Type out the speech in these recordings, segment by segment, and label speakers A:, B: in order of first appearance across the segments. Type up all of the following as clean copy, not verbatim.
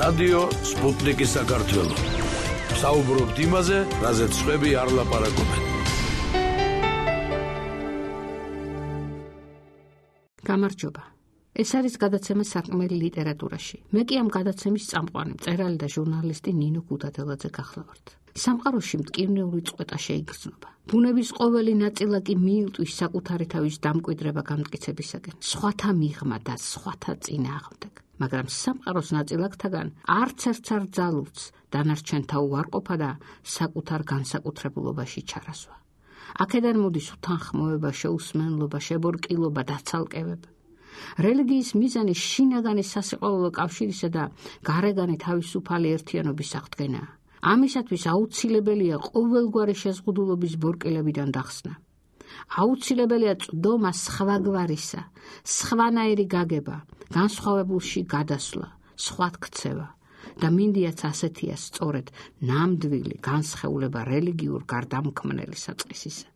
A: რადიო სპუტნიკი საქართველო. საუბრობთ იმაზე, რაზეც სხვები არ ლაპარაკობენ.
B: გამარჯობა. ეს არის გადაცემა სარკმელი ლიტერატურაში. მე კი ამ გადაცემის წამყვანი, მწერალი და ჟურნალისტი ნინო ქუთათელაძე გახლავართ. სამყაროში მტკივნეული წყვეტა შეიგრძნობა. ბუნების ყოველი ნაწილა კი მიილტვის საკუთარი თავის დამკვიდრება გამტკიცებისაკენ, სხვათა მიღმა და სხვათა წინააღმდეგ. მაგრამ სამყაროს ნაწილაკთაგან არც ერთს არ ძალუძს დანარჩენთა უარყოფა და საკუთარ განსაკუთრებულობაში ჩარასვა. აქედან მოდის უთანხმოება, შეუსმენლობა, შებორკილობა, დაცალკევება. რელიგიის მიზანი შინაგანი სასიყვარულო კავშირისა და გარეგანი თავისუფალი ერთიანობის აღდგენაა. ამისათვის აუცილებელია ყოველგვარი შეზღუდულობის ბორკილებიდან დახსნა. აუცილებელია წვდომა სხვაგვარისა, სხვანაირი გაგება, განსხვავებულში გადასვლა, სხვათქცევა და მინდიაც ასეთია სწორედ ნამდვილი განსხეულება რელიგიურ გარდამქმნელი საწყისისა.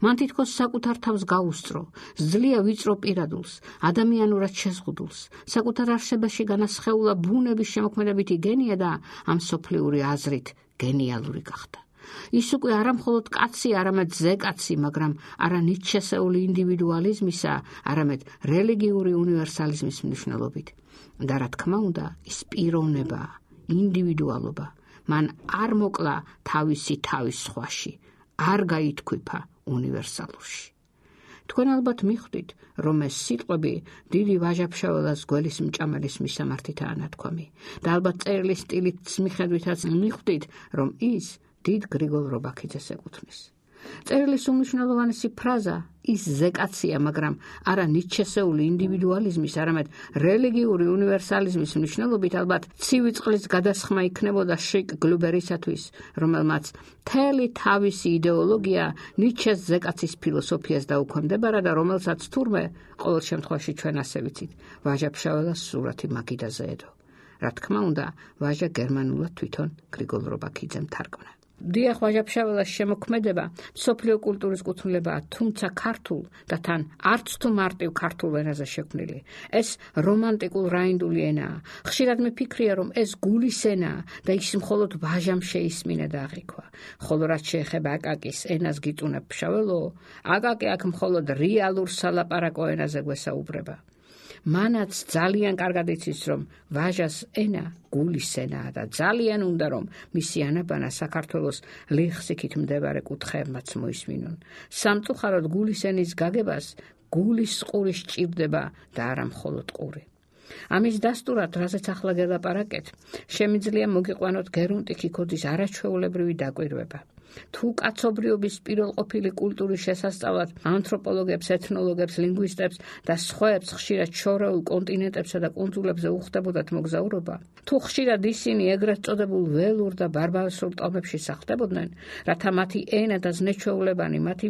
B: მან თითქოს საკუთარ თავს გაუსწრო, ძლია ვიწრო პირადულს, ადამიანურად შეზღუდულს, საკუთარ არსებაში განასხეულა ბუნების შემოქმედებითი გენია და ამ სოფლიური აზრით გენიალური გახდა. ის უკვე არა მხოლოდ კაცი, არამედ ზეკაცი, მაგრამ არა ნიჩესეული ინდივიდუალიზმისა, არამედ რელიგიური უნივერსალიზმის მნიშვნელობით. და რა თქმა უნდა, ის პიროვნება, ინდივიდუალობა, მან არ მოკლა თავისი თავის სხვაში, არ გაითქვიფა უნივერსალურში. თქვენ ალბათ მიხვდით, რომ ეს სიტყვები დიდი ვაჟა-ფშაველას გველის მჭამელის მისამართითაა ნათქვამი და ალბათ წერილის სტილით მიხედვითაც მიხვდით, რომ ის დიდ გრიგოლ რობაქიძეს ეკუთვნის. წერილის უმნიშვნელოვანესი ფრაზა ის ზეკაცია, მაგრამ არა ნიჩესეული ინდივიდუალიზმის, არამედ რელიგიური უნივერსალიზმის მნიშვნელობით ალბათ ცივი წყლის გადასხმა იქნებოდა შეიკ გლუბერისათვის, რომელმაც მთელი თავისი იდეოლოგია ნიჩეს ზეკაცის ფილოსოფიას დაუქვემდებარა და რომელსაც თურმე ყოველ შემთხვევაში ჩვენ ასე ვიცით, ვაჟა-ფშაველას სურათი მაგიდაზე ედო. რა თქმა უნდა, ვაჟა გერმანულად თვითონ გრიგოლ რობაქიძემ თარგმნა. დიახ, ვაჟა-ფშაველას შემოქმედება მსოფლიო კულტურის კუთვნილებაა, თუმცა ქართულ და თან არც თუ მარტივ ქართულ ენაზე შექმნილი. ეს რომანტიკულ რაინდული ენაა. ხშირად მიფიქრია, რომ ეს გულის ენაა და ის მხოლოდ ვაჟამ შეისმინა და აღიქვა. ხოლო რაც შეეხება აკაკის ენას გიწუნებ ფშაველო, აკაკი აქ მხოლოდ რეალურ სალაპარაკო ენაზე გვესაუბრება. მანაც ძალიან კარგად იცის, რომ ვაჟას ენა გულის ენაა და ძალიან უნდა, რომ მისი ანაბანა საქართველოს ლიხსიქით მდებარე კუთხეებმაც მოისმინონ. სამწუხაროდ გულის ენის გაგებას გულის ყური სჭირდება და არა მხოლოდ ყური. ამის დასტურად, რაზეც ახლა გელაპარაკეთ, შემიძლია მოგიყვანოთ გერუნტი ქიქოძის არაჩვეულებრივი დაკვირვება. თუ კაცობრიობის პირველყოფილი კულტურის შესასწავლად ანთროპოლოგებს, ეთნოლოგებს, ლინგვისტებს და სხვაებს ხშირად შორეულ კონტინენტებსა და კუნძულებზე უხდებოდათ მოგზაურობა, თუ ხშირად ისინი ეგრეთ წოდებულ ველურ და ბარბაროსულ ტომებში სახლდებოდნენ, რათა მათი ენა და ზნეჩვეულებანი, მათი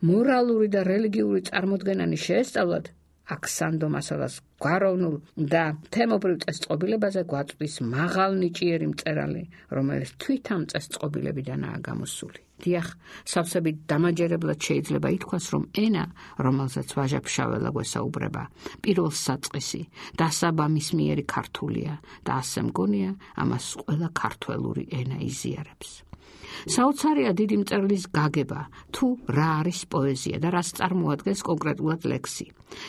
B: მორალური და რელიგიური წარმოდგენანი შეესწავლათ, აქ სანდო მასალას გვაროვნულ და თემობრივ წესწყობილებაზე გვაწვდის მაღალნიჭიერი მწერალი, რომელიც თვით ამ წესწყობილებიდანაა გამოსული. დიახ, სავსებით დამაჯერებლად შეიძლება ითქვას, რომ ენა, რომელზეც ვაჟა-ფშაველა გვესაუბრება, პირველ საწყისი, დასაბამისმიერი ქართულია და ასე მგონია, ამას ყველა ქართველური ენა იზიარებს. საოცარია დიდი მწერლის გაგება, თუ რა არის პოეზია და რას წარმოადგენს კონკრეტულად ლექსი.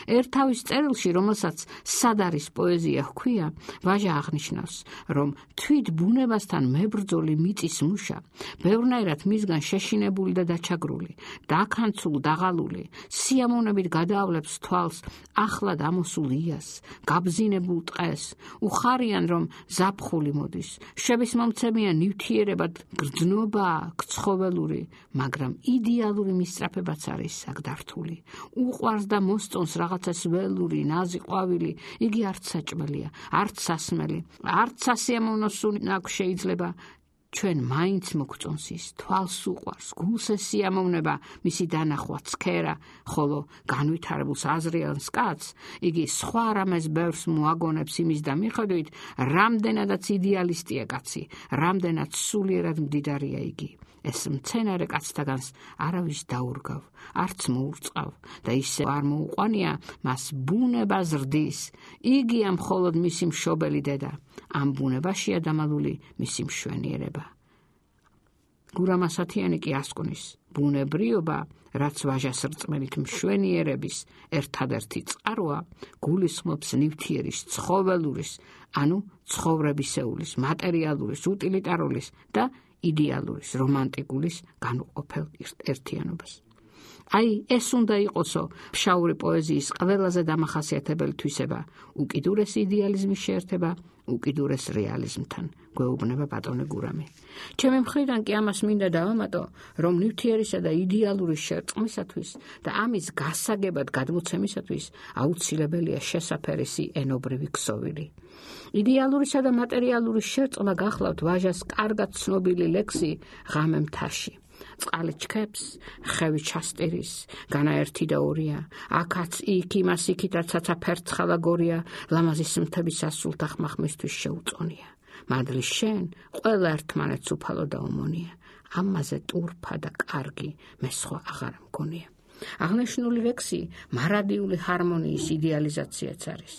B: ერთავის წერილში, რომელსაც სად არის პოეზია ჰქვია, ვაჟა აღნიშნავს, რომ თვით ბუნებასთან მებრძოლი მიწის მუშა, ბევრნაირად მისგან შეშინებული და დაჩაგრული, დაქანცულ, დაღალული, სიამოვნებით გადაავლებს თვალს ახლად ამოსულ იას, გაბზინებულ ტყეს, უხარიან, რომ ზაფხული მოდის, შვების მომცემია ნივთიერებად გრძნობა, გცხოველური, მაგრამ იდეალური მისწრაფებაც არის საგდართული. უყვარს და მოსწონს რაღაცას ველური, ნაზი ყვავილი, იგი არც საჭმელია, არც სასმელი, არც სასიამოვნო სუნი აქ შეიძლება. ჩვენ მაინც მოგწონს ის, თვალს უყვარს, გულს ესიამოვნება მისი დანახვა, ცქერა, ხოლო განვითარებულს აზრიანს კაცს, იგი სხვა რამეს ბევრს მოაგონებს იმის და მიხედვით, რამდენადაც იდეალისტია კაცი, რამდენად სულიერად მდიდარია იგი. ეს მცენარე კაცთაგანს არავის დაურგავ, არც მოურწყავ და ისე არ მოუყვანია მას ბუნება ზრდის, იგია მხოლოდ მისი მშობელი დედა. ამ ბუნებაშია დამალული მისი მშვენიერება. გურამასათიანი კი ასკვნის, ბუნებრიობა, რაც ვაჟას რწმენით მშვენიერების ერთადერთი წყაროა, გულისხმობს ნივთიერის, ცხოველურის, ანუ ცხოვრებისეულის, მატერიალურის, უტილიტარულის და იდეალურის, რომანტიკულის განუყოფელ ერთიანობას. აი, ეს უნდა იყოსო ფშაური პოეზიის ყველაზე დამახასიათებელი თვისება, უკიდურესი იდეალიზმის შეერთება უკიდურეს რეალიზმთან, გვეუბნება ბატონი გურამი. ჩემი მხრიდან კი ამას მინდა დავამატო, რომ ნივთიერისა და იდეალურის შერწყმისათვის და ამის გასაგებად გადმოცემისათვის აუცილებელია შესაფერისი ენობრივი ქსოვილი. იდეალურისა და მატერიალურის შერწყმა გახლავთ ვაჟას კარგად ცნობილი ლექსი ღამე მთაში. წყალი ჩქეფს, ხევი ჩასტირის, განაერთი და ორია, აქაც იქ იმას იქითაც ცაცაფერცხალა გორია, ლამაზის მთების ასულთა ხმახმისთვის შეუწონია. მადლი შენ, ყველა ერთმანეთს უფალო და უმონია, ამაზე ტურფა და კარგი მე სხვა აღარ მგონია. აღნიშნული ლექსი მარადიული ჰარმონიის იდეალიზაციაც არის.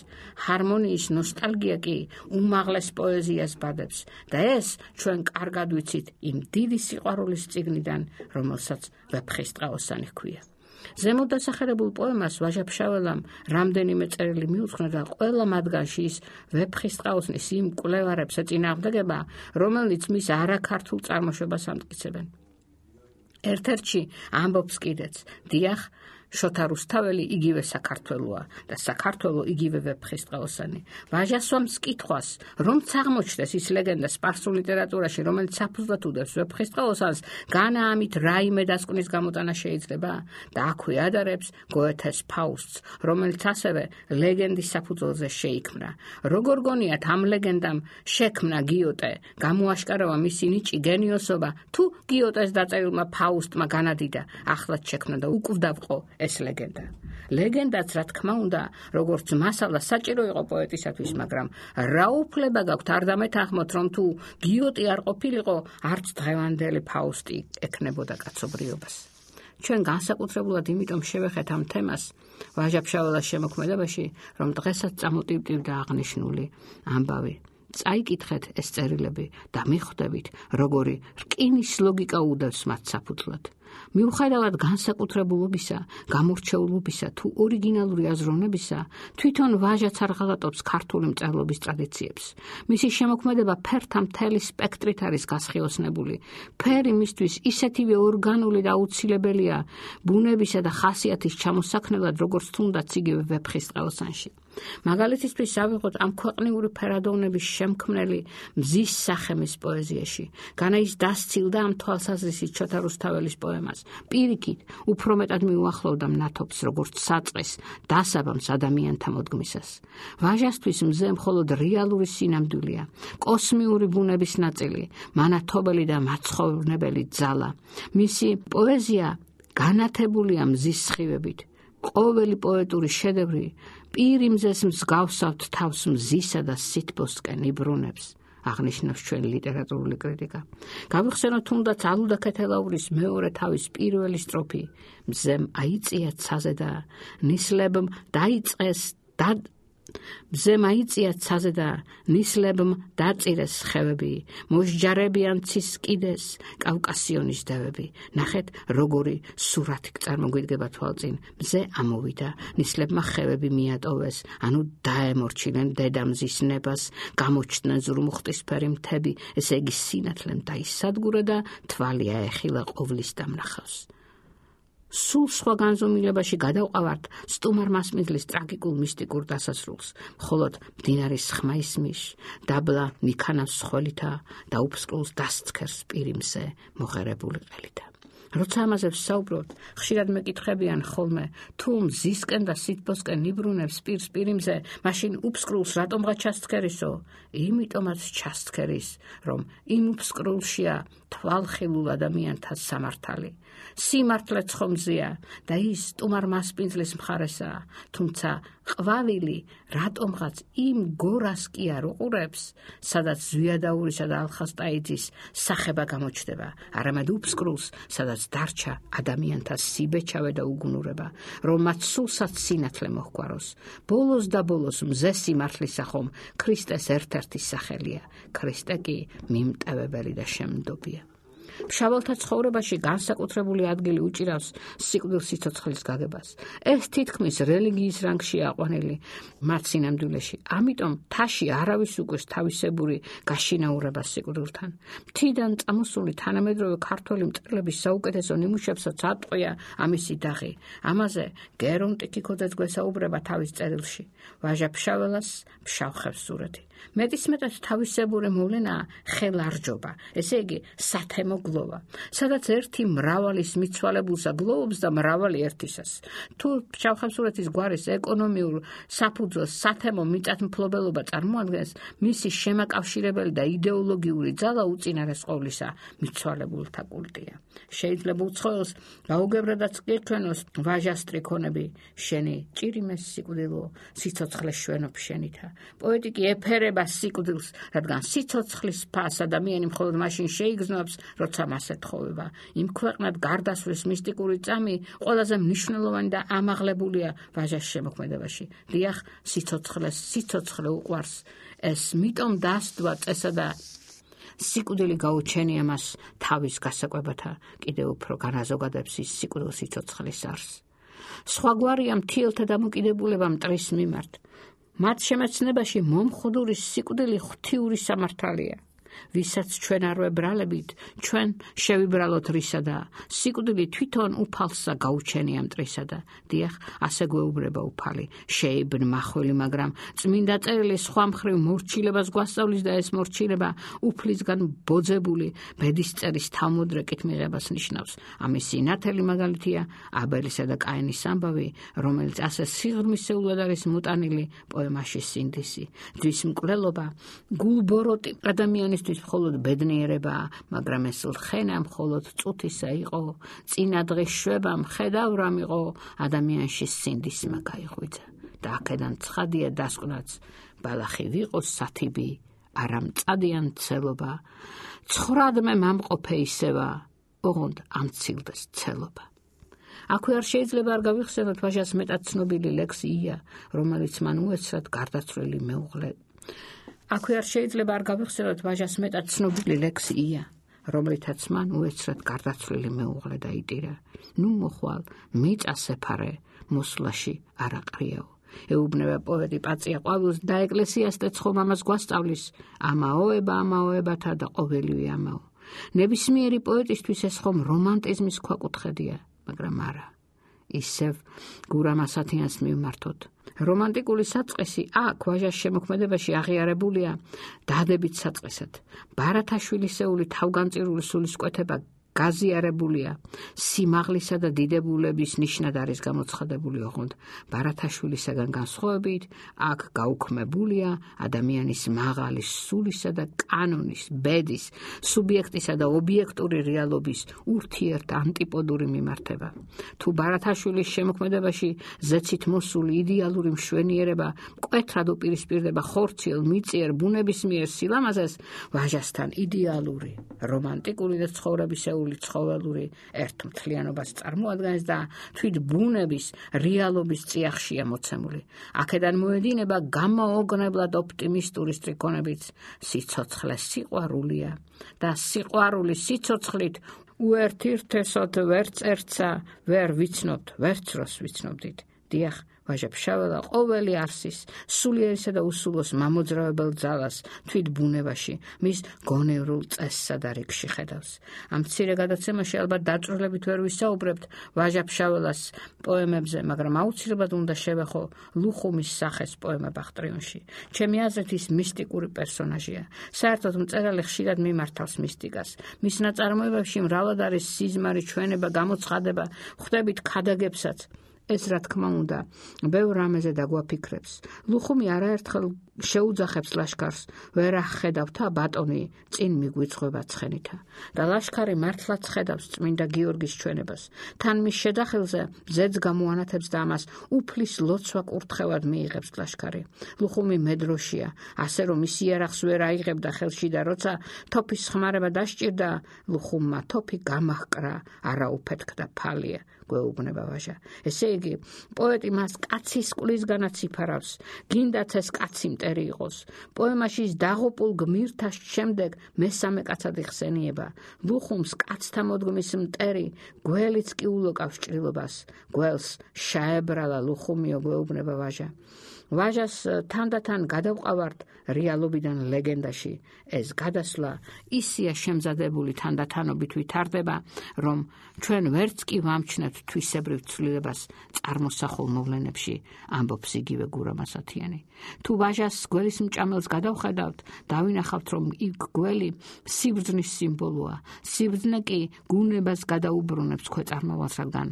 B: ჰარმონიის ნოსტალგია კი უმაღლეს პოეზიას ბადებს და ეს ჩვენ კარგად ვიცით იმ დიდი სიყვარულის წიგნიდან, რომელსაც ვეფხისტყაოსანი ჰქვია. ზემოთ დასახელებულ პოემას ვაჟა-ფშაველამ რამდენიმე წერილი მიუძღვნა და ყველა მათგანში ის ვეფხისტყაოსნის იმ კვლევარებს ეწინააღმდეგება, რომელნიც მის არაქართულ წარმოშობას ამტკიცებენ. ერთ-ერთში ამბობს კიდეც, დიახ, შოთა რუსთაველი იგივე საქართველოა და საქართველო იგივე ვეფხისტყაოსანი. ვაჟასვამს კითხვას, რომც აღმოჩნდეს ის ლეგენდა სპარსულ ლიტერატურაში, რომელიც საფუძვლად უდევს ვეფხისტყაოსანს, განა ამით რაიმე დასკვნის გამოტანა შეიძლება და აქვე ადარებს გოეთეს ფაუსტს, რომელიც ასევე ლეგენდის საფუძველზე შეიქმნა. როგორ გონიათ ამ ლეგენდამ შექმნა გიოტე, გამოაშკარავა მისი ნიჭი გენიოსობა, თუ გიოტეს დაწერილმა ფაუსტმა განადიდა, ახლაც შექმნა და უკვდავყო ეს ლეგენდა. ლეგენდაც, რა თქმა უნდა, როგორც მასალა საჭირო იყო პოეტისათვის, მაგრამ რა უფლება გაქვთ არ დამეთანხმოთ, რომ თუ გიოტი არ ყოფილიყო, არც დღევანდელი ფაუსტი ექნებოდა კაცობრიობას. ჩვენ განსაკუთრებულად იმიტომ შევეხეთ ამ თემას ვაჟა-ფშაველას შემოქმედებაში, რომ დღესაც წამოტივტივდა აღნიშნული ამბავი. წაიკითხეთ ეს წერილები და მიხვდებით, როგორი რკინის ლოგიკა უდევს მათ საფუძვლად. მიუხედავად განსაკუთრებულობისა, გამორჩეულობისა თუ ორიგინალური აზროვნებისა, თვითონ ვაჟაც არ ღალატობს ქართული მწერლობის ტრადიციებს. მისი შემოქმედება ფერთა მთელი სპექტრით არის გასხიოსნებული. ფერი მისთვის ისეთივე ორგანული და აუცილებელია ბუნებისა და ხასიათის ჩამოსაქმნელად, როგორც თუნდაც იგივე ვეფხისტყაოსანში. მაგალითისთვის ავიღოთ ამ ქვეყნიური ფერადოვნების შემქმნელი მზის სახემის პოეზიაში. განა ის დასცილდა ამ თვალსაზრისით შოთა რუსთაველის პოემას. პირიქით, უფრო მეტად მიუახლოვდა მნათობს, როგორც საწყის, დასაბამს ადამიანთა მოდგმისას. ვაჟასთვის მზე მხოლოდ რეალური სინამდვილეა, კოსმიური ბუნების ნაწილი, მანათობელი და მაცხოვრნებელი ძალა. მისი პოეზია განათებულია მზის სხივებით. ყოველი პოეტური შედევრი პირიმზეს მსგავსავთ თავს მზისა და სითბოსკენ იბრუნებს, აღნიშნავს ჩვენი ლიტერატურული კრიტიკა. გავიხსენოთ თუნდაც ალუდა ქეთელაურის მეორე თავის პირველი სტროფი. მზემ აიწია ცაზე და ნისლებმ დაიწყეს და მზემ აიწია ცაზე და ნისლებმ დაწირეს ხევები, მოსჯარებიან ცის კიდეს კავკასიონის დევები. ნახეთ, როგორი სურათი წარმოგვიდგება თვალწინ. მზე ამოვიდა, ნისლებმა ხევები მიატოვეს, ანუ დაემორჩილენ დედამზის ნებას, გამოჩნდნენ ზურმუხტისფერი მთები, ესე იგი სინათლემ დაისადგურა და თვალი აეხილა ყოვლის დამნახავს. სულ სხვა განზომილებაში გადავყავართ სტუმარ მასმედლის ტრაგიკულ მისტიკურ დასასრულს, მხოლოდ მდინარის ხმა ისმის, დაბლა მიქანავს სხველითა და უფსკრულს დასცქერს პირიმზე მოღერებული ყელითა. როცა ამაზე ვსაუბრობთ, ხშირად მეკითხებიან ხოლმე, თუ მზისკენ და სითბოსკენ იბრუნებს პირს პირიმზე, მაშინ უფსკრულს რატომღა ჩასცქერისო? იმიტომაც ჩასცქერის, რომ იმ უფსკრულშია თვალხილულ ადამიანთა სამართალი. სიმართლე ცხომზია და ის სტუმარ მასპინძლის მხარესაა, თუმცა ყვავილი რატომღაც იმ გორას კი არ უყურებს, სადაც ზვიადაურისა და ალხასტაიძის სახება გამოჩნდება, არამედ უფსკრულს, სადაც როდესაც დარჩა ადამიანთა სიბეჭავე და უგუნურება, რომ მათ სულსაც სინათლე მოჰგვაროს. ბოლოს და ბოლოს მზე სიმართლისა ხომ ქრისტეს ერთ-ერთი სახელია. ქრისტე კი მიმტევებელი და შემდობია. ფშაველთა ცხოვრებაში განსაკუთრებული ადგილი უჭირავს სიკვდილ სიცოცხლის გაგებას. ეს თითქმის რელიგიის რანგშია აყვანილი მათ სინამდვილეში. ამიტომ თაში არავის უკვეს თავისებური გაშინაურება სიკვდილთან. მთიდან წამოსული თანამედროვე ქართველი მწერლების საუკეთესო ნიმუშებსაც ატყვია ამისი დაღი. ამაზე გერონ ტიქიკოძეც გვესაუბრება თავის წერილში. ვაჟა ფშაველას ფშავხებს სურათი. მეტისმეტად თავისებური მოვლენაა ხელარჯობა, ესე იგი სათემო გლოვა, სადაც ერთი მრავალის მიცვალებულსა გლოვობს და მრავალი ერთისას. თუ ფშავხებსურეთის გვარის ეკონომიურ საფუძველს სათემო მიწათმფლობელობა წარმოადგენს, მისი შემაკავშირებელი და იდეოლოგიური ძალა უწინარეს ყოვლისა მიცვალებულთა კულტია. შეიძლება უცხოელს გაუგებრადაც გეჩვენოს ვაჟას ტრიქონები, შენი ჭირიმეს სიკვდილო, სიცოცხლე შვენობ შენითა. პოეტი კი ეფერება სიკვდილს, რადგან სიცოცხლის ფას ადამიანი მხოლოდ მაშინ შეიგრძნობს, როცა მას ეთხოვება. იმ ქვეყნად გარდასვლის მისტიკური წამი ყველაზე მნიშვნელოვანი და ამაღლებულია ვაჟას შემოქმედებაში. დიახ, სიცოცხლე უყვარს. ეს მიტომ დასდვა წესა და სიკვდილი გაუჩენია მას თავის გასაკვებათა, კიდევ უფრო განაზოგადებს ის სიკვდილ სიცოცხლის არსს. სხვაგვარია მთიელთა დამოკიდებულება მტრის მიმართ. მათ შემეცნებაში მომხდური სიკვდილი ღვთიური სამართალია. ვისაც ჩვენ არ ვებრალებით, ჩვენ შევიბრალოთ რისადა. სიკვდილი თვითონ უფალსა გაუჩენია მტრისადა. დიახ, ასე გვეუბნება უფალი. შეიბნ მახვილი, მაგრამ წმინდა წერილი სხვა მხრივ მორჩილებას გვასწავლის და ეს მორჩილება უფლისგან ბოძებული ბედისწერის თავმოდრეკით მიღებას ნიშნავს. ამის სინათელი მაგალითია აბელისა და კაინის ამბავი, რომელიც ასე სიღრმისეულად არის მოტანილი პოემაში სინდისი. ძვის მკვლელობა გულბოროტი ადამიანის მხოლოდ ბედნიერებაა, მაგრამ ეს ლხენა მხოლოდ წუთისა იყო. წინა დღის შვებამ ხედავრამ იყო, ადამიანში სინდისმა გაიღვიძა. და აქედან ცხადია დასკვნაც, ბალახი ვიყოს სათიბი, არა მწადიან ცელობა. ცხრადმე მამყოფე ისევა, ოღონდ ამცილდეს ცელობა. აქვე არ შეიძლება არ გავიხსენოთ ვაჟას მეტად ცნობილი ლექსი ია, რომელიც მან უეცრად გარდაცვლილი მეუღლე. აქვე არ შეიძლება არ გავიხსენოთ ვაჟას მეტად ცნობილი ლექსი ია, რომლითაც მან უეცრად გარდაცვლილი მეუღლე დაიტირა. ნუ მოხვალ, მიწა სეფარე, მოსვლაში არ აყრიაო. ეუბნება პოეტი პაწია ყვავილს და ეკლესიას ეცხო მამას გვასწავლის, ამაოებათა და ყოველივე ამაო. ნებისმიერი პოეტისთვის ეს ხომ რომანტიზმის ქვაკუთხედია, მაგრამ არა. ისევ გურამასათიანს მივმართოთ. რომანტიკული საწყისი აქ ვაჟას შემოქმედებაში აღიარებულია დადებით საწყისად. ბარათაშვილისეული თავგანწირული სულისკვეთება გაზიარებულია სიმაღლისა და დიდებულების ნიშნად არის გამოცხადებული, ოღონდ ბარათაშვილისაგან განსხვავებით აქ გაუქმებულია ადამიანის მაღალი სულისა და კანონის, ბედის, სუბიექტისა და ობიექტური რეალობის ურთიერთ ანტიპოდური მიმართება. თუ ბარათაშვილის შემოქმედებაში ზეცით მოსული იდეალური მშვენიერება მკვეთრად უპირისპირდება ხორციელ, მიწიერ, ბუნებისმიერ სილამაზეს, ვაჟასთან იდეალური, რომანტიკული და ცხოვრებისეული ცხოველური ერთმთლიანობას წარმოადგენს და თვით ბუნების, რეალობის წიაღშია მოცემული. აქედან მოედინება გამაოგნებლად ოპტიმისტური სტრიქონებიც, სიცოცხლე სიყვარულია და სიყვარული სიცოცხლით უერთირთესოთ ვერც ერთსა ვერ ვიცნობთ, ვერც როს ვიცნობდით. დიახ, ვაჟა ფშაველა ყოველი არსის, სულიერისა და უსულოს მამოძრავებელ ძალას თვით ბუნებაში, მის გონევრულ წესსა და რიგში ხედავს. ამ მცირე გადაცემაში ალბათ დაწვრილებით ვერ ვისაუბრებთ ვაჟა ფშაველას პოემებზე, მაგრამ აუცილებლად უნდა შევეხო ლუხუმის სახეს პოემა ბახტრიონში. ჩემი აზრით ის მისტიკური პერსონაჟია. საერთოდ მწერალი ხშირად მიმართავს მისტიკას. მის ნაწარმოებებში მრავლად არის სიზმარი, ჩვენება, გამოცხადება, ხვდებით ქადაგებსაც. ეს რა თქმა უნდა, ბევრ რამეზე დაგვაფიქრებს. ლუხუმი არაერთხელ შეუძახებს ლაშქარს, ვერ ახედავთა ბატონი წინ მიგვიძღვება ცხენითა. და ლაშქარი მართლაც ხედავს წმინდა გიორგის ჩვენებას. თან მის შედახელზე ზედს გამოანათებს და ამას უფლის ლოცვა კურთხევად მიიღებს ლაშქარი. ლუხუმი მედროშია, ასე რომ ის იარაღს ვერ აიღებდა ხელში და როცა თოფის ხმარება დასჭირდა, ლუხუმმა თოფი გამაჰკრა, არა უფეთქდა ფალია. გვეუბნება ვაჟა. ესე იგი, პოეტი მას კაცის ყვლისგანაც იფარავს, გინდაც ეს კაცი მტერი იყოს. პოემაში დაღუპულ გმირთა შემდეგ მესამე კაცად იხსენიება. ლუხუმს კაცთა მოდგმის მტერი, გველიც კი ულოკავს ჭრილობას. გველს შეებრალა ლუხუმიო, გვეუბნება ვაჟა. ვაჟას თანდათან გადავყავართ რეალობიდან ლეგენდაში. ეს გადასვლა ისია შემზადებული თანდათანობით ვითარდება, რომ ჩვენ ვერც კი ვამჩნევთ თვისებრივ ცვლილებას წარმოსახულ მოვლენებში, ამბობს იგივე გურამ ასათიანი. თუ ვაჟას გველის მჭამელს გადავხედავთ, დავინახავთ, რომ იქ გველი სიბრძნის სიმბოლოა. სიბრძნე კი გუნებას გადაუბრუნებს ქვეწარმავალს, რადგან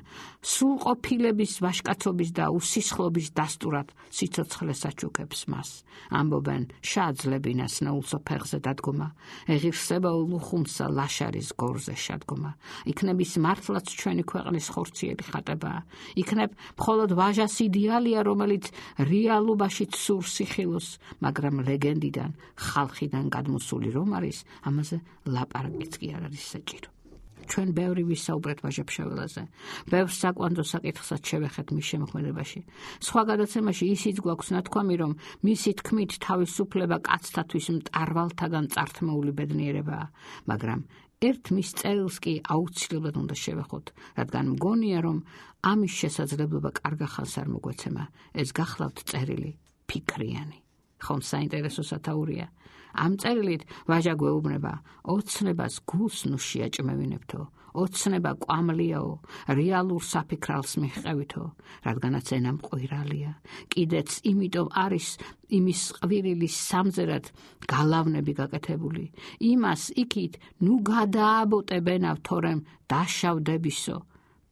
B: სრულყოფილების, ვაჟკაცობის და უსისხლობის დასტურად სიცოცხლეს აჩუქებს მას. ამბობენ შაძლებინას ნაულსო ფეხზე დადგომა, ეღირსება ლუხუმსა ლაშარის გორზე შადგომა. იქნებ ის მართლაც ჩვენი ქვეყნის ხორციელი ხატებაა. იქნებ მხოლოდ ვაჟას იდეალია, რომელიც რეალობაშიც სურს სიხილოს, მაგრამ ლეგენდიდან, ხალხიდან გადმოსული რომ არის, ამაზე ლაპარაკიც კი არ არის საჭირო. ჩვენ ბევრი ვისაუბრეთ ვაჟა-ფშაველაზე, ბევრ საკვანძო საკითხსაც შევეხეთ მის შემოქმედებაში. სხვა გადაცემაში ისიც გვაქვს ნათქვამი, რომ მისი თქმით თავისუფლება კაცთათვის მტარვალთაგან წართმეული ბედნიერებაა, მაგრამ ერთ მის წერილს კი აუცილებლად უნდა შევეხოთ, რადგან მგონია, რომ ამის შესაძლებლობა კარგ ახალს არ მოგვეცემა. ეს გახლავთ წერილი ფიქრიანი. ხომ საინტერესო სათაურია. ამ წერილით ვაჟა გვეუბნება, ოცნებას გულს ნუ შეაჭმევინებთო, ოცნება კვამლიაო, რეალურ საფიქრალს მიჰყევითო, რადგანაც ენა მყვირალია. კიდეც იმიტომ არის იმის ყვირილის სამზერად გალავნები გაკეთებული. იმას იქით ნუ გადააბოტებენავ, თორემ დაშავდებისო.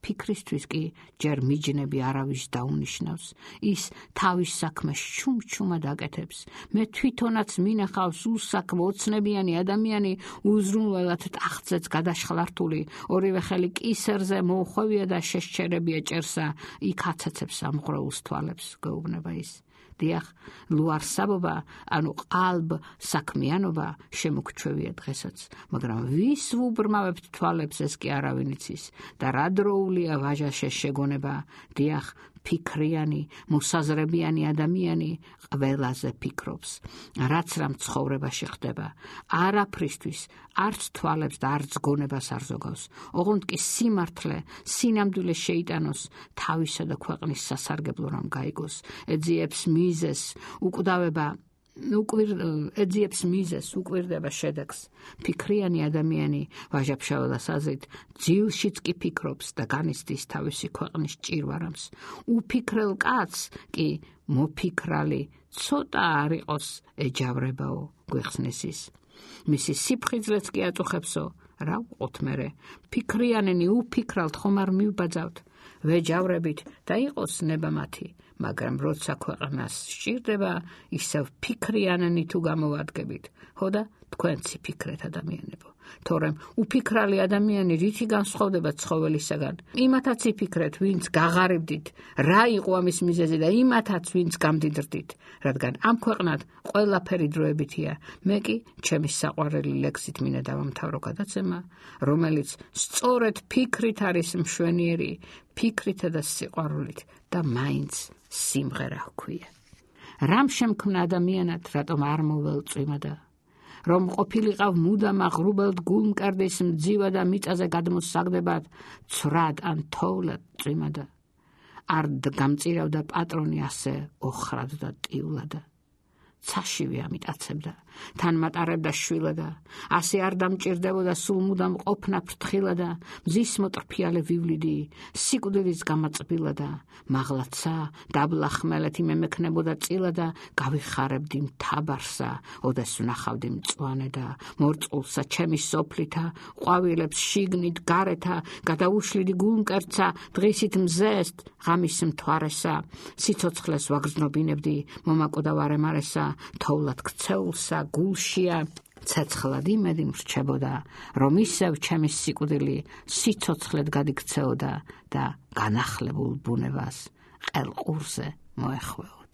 B: ფიქრისთვის კი ჯერ მიჯნები არავის დაუნიშნავს. ის თავის საქმეს ჩუმჩუმად აკეთებს. მე თვითონაც მინახავს უსაქმო ოცნებიანი ადამიანი უზრუნველად ტახტზეც გადაშხლართული, ორივე ხელი კისერზე მოუხვევია და შეშჩერებია ჭერსა, იქ აცაცებს ამღრეულს თვალებს, გვეუბნება ის. დიახ, ლუარსაბობა, ანუ ყალბ საქმიანობა შემოგჩვევია დღესაც, მაგრამ ვის ვუბრმავებთ თვალებს, ეს კი არავინ იცის და რა დროულია ვაჟას შეგონება. დიახ, ფიქრიანი, მოსაზრებიანი ადამიანი ყველაზე ფიქრობს, რაც რამ ცხოვრებაში ხდება, არაფრისთვის, არც თვალებს და არც გონებას არ ზოგავს. ოღონდ კი სიმართლე, სინამდვილე შეიტანოს, თავისა და ქვეყნის სასარგებლო რამ გაიგოს, ეძიებს მიზეს, უკვირდება შედეგს. ფიქრიანი ადამიანი ვაჟა-ფშაველას აზრით ძილშიც კი ფიქრობს და განიცდის თავისი ქვეყნის ჭირვარამს. უფიქრელ კაცს კი მოფიქრალი ცოტა არ იყოს ეჯავრებაო, გვიხსნის ის. მისი სიფხიზლეც კი აწუხებსო, რა ვყოთ მერე, ფიქრიანენი უფიქრალთ ხომ არ მივბაძავთ, ვეჯავრებით და იყოს ნება მათი, მაგრამ როცა ქვეყნას სჭირდება, ისევ ფიქრიანენი თუ გამოვადგებით, ხო და თქვენცი ფიქრეთ ადამიანებო. თორემ უფიქრალი ადამიანი რითი განსხვავდება ცხოველისაგან? იმათაც იფიქრეთ, ვინც გაღარიბდით, რა იყო ამის მიზეზი და იმათაც, ვინც გამდიდრდით, რადგან ამ ქვეყნად ყველაფერი დროებითია. მე კი ჩემი საყვარელი ლექსით მინდა დავამთავრო გადაცემა, რომელიც სწორედ ფიქრით არის მშვენიერი, ფიქრითა და სიყვარულით და მაინც სიმღერა ჰქვია. რამ შემქმნა ადამიანად, რატომ არ მოველწვიმადა? რომ ყოფილიყავ მუდამ აღრუბელთ გულმკერდის მძივა და მიწაზე გადმოსაგდებად, ცვრად ან თოვლად წვიმადა. არ გამწირავდა პატრონი ასე ოხრად და ტივლად. ცაშივე ამით აცებდა, თან მატარებდა შვილა და ასე არ დამჭირდებოდა სულ მუდამ ყოფნა ფრთხილა და მზის მოტრფიალე ვივლიდი სიკვდილის გამაწბილა და მაღლაცა დაბლა ხმელეთი მემექნებოდა წილა და გავიხარებდი მთაბარსა ოდეს ვნახავდი მწვანე და მორწყულსა ჩემი სოფლითა ყვავილებს შიგნით გარეთა გადაუშლიდი გულმკერცა დღისით მზესთ ღამის მთვარესა სიცოცხლეს ვაგრძნობინებდი მომაკოდა ვარემარესა თოვლად ქცეულსა გულშია ცეცხლად იმედი მრჩებოდა რომ ისევ ჩემი სიკვდილი სიცოცხლედ გადიქცეოდა და განახლებულ ბუნებას ყელყურზე მოეხვეოდა